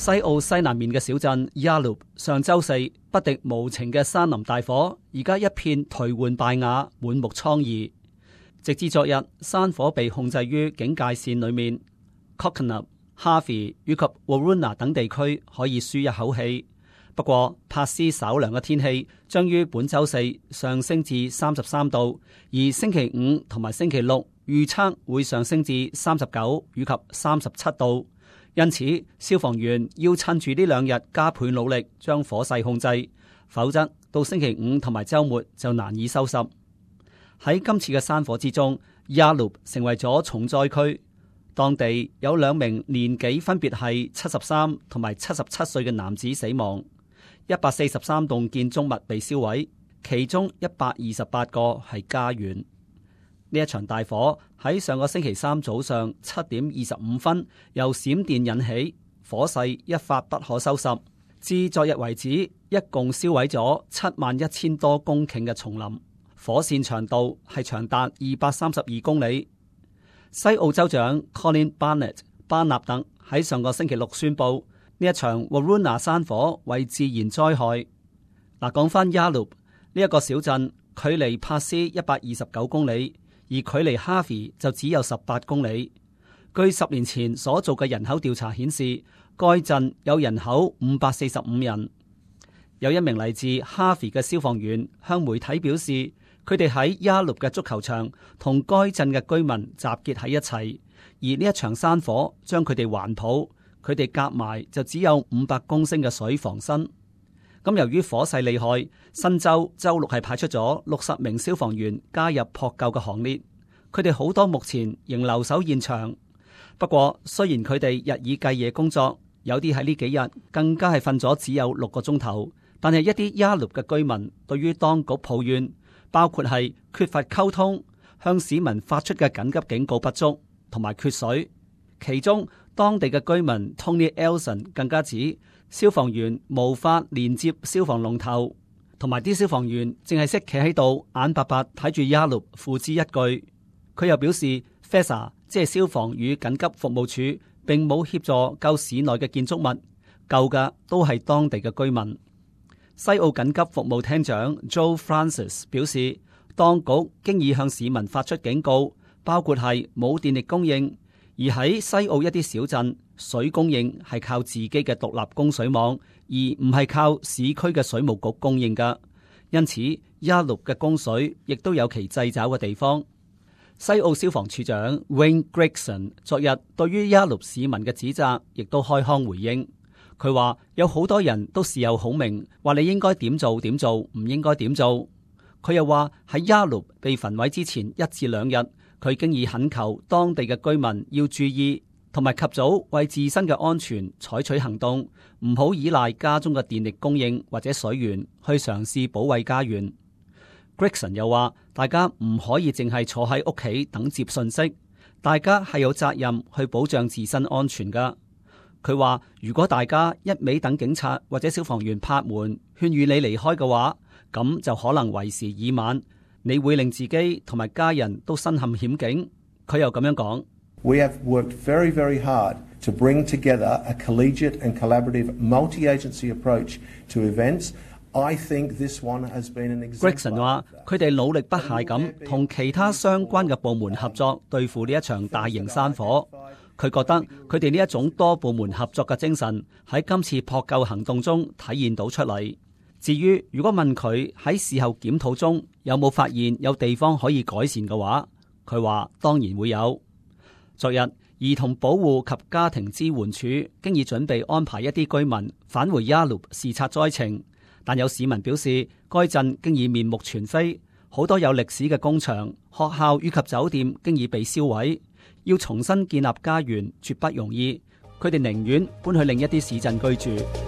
西澳西南面嘅小鎮 Yallop 上週四不敵無情嘅山林大火，而家一片頹垣敗瓦，滿目瘡痍。直至昨日，山火被控制於警戒線裏面 ，Coconut、Harvey 以及 Waruna 等地區可以舒一口氣。不過，珀斯稍涼嘅天氣將於本週四上升至33度，而星期五同埋星期六預測會上升至39以及37度。因此，消防員要趁住呢兩日加倍努力將火勢控制，否則到星期五同埋週末就難以收拾。喺今次嘅山火之中，Yallop成為咗重災區。當地有2名年紀分別係73同埋77歲嘅男子死亡，143棟建築物被燒毀，其中128個係家園。呢一場大火喺上個星期三早上7點25分由閃電引起，火勢一發不可收拾。至昨日為止，一共燒毀咗71000多公頃嘅叢林，火線長度係長達232公里。西澳州長 Colin Barnett 巴納特喺上個星期六宣布，呢一場 Waruna 山火為自然災害。嗱，講翻 Yallop 呢一個小鎮，距離珀斯129公里。而距離 Harvey 就只有18公里。據10年前所做嘅人口調查顯示，該鎮有人口545人。有一名嚟自 Harvey 嘅消防員向媒體表示，佢哋喺 Yallop 嘅足球場同該鎮嘅居民集結喺一齊，而呢一場山火將佢哋環抱，佢哋夾埋就只有500公升嘅水防身。咁由於火勢厲害，新州週六係派出咗60名消防員加入撲救嘅行列。佢哋好多目前仍留守現場。不過雖然佢哋日以繼夜工作，有啲喺呢幾日更加係瞓咗只有6個鐘頭，但係一啲 Yallop 嘅居民對於當局抱怨，包括係缺乏溝通、向市民發出嘅緊急警告不足同埋缺水。其中當地嘅居民 Tony Elson 更加指，消防員無法連接消防龍頭，同埋啲消防員淨係識企喺度眼白白睇住 Yallop 付之一炬。佢又表示 FESA 即係消防與緊急服務處並冇協助救市內嘅建築物，救嘅都係當地嘅居民。西澳緊急服務廳長 Joe Francis 表示，當局經已向市民發出警告，包括係冇電力供應，而喺西澳一啲小鎮，水供應係靠自己嘅獨立供水網，而唔係靠市區嘅水務局供應㗎。因此 Yallop 嘅供水亦都有其掣肘嘅地方。西澳消防處長 Wayne Gregson 昨日對於 Yallop 市民嘅指責亦都開腔回應。佢話有好多人都事後孔明，話你應該點做點做，唔應該點做。佢又話喺 Yallop 被焚毀之前1至2日，佢經已懇求當地嘅居民要注意，同埋及早為自身嘅安全採取行動，唔好依賴家中嘅電力供應或者水源去嘗試保衛家園。Gregson 又話，大家唔可以淨係坐喺屋企等接訊息，大家係有責任去保障自身安全㗎。佢話，如果大家一味等警察或者消防員拍門勸喻你離開嘅話，咁就可能為時已晚，你會令自己同埋家人都身陷險境。佢又咁樣講。We have worked very, very hard to bring together a collegiate and collaborative multi-agency approach to events. I think this one has been an example. Gregson 話：佢哋努力不懈咁同其他相關嘅部門合作，對付呢一場大型山火。佢覺得佢哋呢一種多部門合作嘅精神喺今次撲救行動中體現到出嚟。至於如果問佢喺事後檢討中有冇發現有地方可以改善嘅話，佢話當然會有。昨日，兒童保護及家庭支援處經已準備安排一啲居民返回 Yallop 視察災情，但有市民表示，該鎮經已面目全非，好多有歷史嘅工場、學校以及酒店經已被燒毀，要重新建立家園絕不容易。佢哋寧願搬去另一啲市鎮居住。